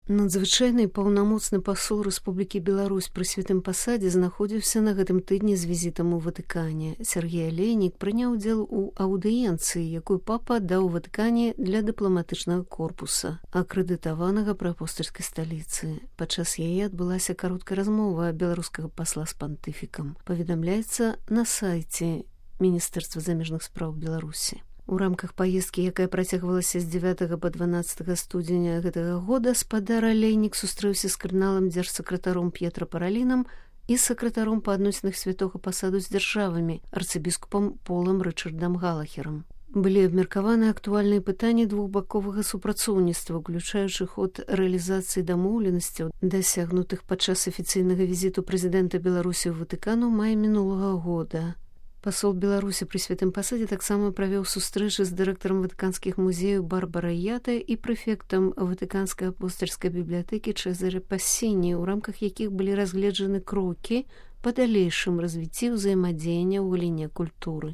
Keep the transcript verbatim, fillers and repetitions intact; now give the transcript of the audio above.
Надзвычайны паўнамоцны пасол Рэспублікі Беларусь пры святым пасадзе знаходзіўся на гэтым тыдні з візітам у Ватыкане. Сергей Алейнік прыняў удзел у аўдыенцыі, якую папа даў Ватыкане для дыпламатычнага корпуса, акрэдытаванага пры апостальскай сталіцы. Падчас яе адбылася кароткая размова беларускага пасла з пантыфікам. Паведамляецца на сайце Міністэрства замежных спраў Беларусі. У рамках паездкі, якая працягвалася з дзевятага па дванаццатае студзеня гэтага года, спадар Алейнік сустрэўся з кардыналам дзяржсакратаром П'етра Паралінам і сакратаром па адносінах святога пасаду з дзяржавамі, арцыбіскупам Полам Рычардам Галахерам. Былі абмеркаваны актуальныя пытанні двухбаковага супрацоўніцтва, уключаючы ход рэалізацыі дамоўленасцяў, дасягнутых падчас афіцыйнага візіту прэзідэнта Беларусі ў Ватыкан у маі мінулага года. Пасол Беларусі пры святым пасадзе таксама правёў сустрэчы з дырэктарам ватыканскіх музеяў Барбарай Ятай і прэфектам Ватыканскай апостальскай бібліятэкі Чэзарэ Пассіні, у рамках якіх былі разгледжаны крокі па далейшым развіцці ўзаемадзеяння ў галіне культуры.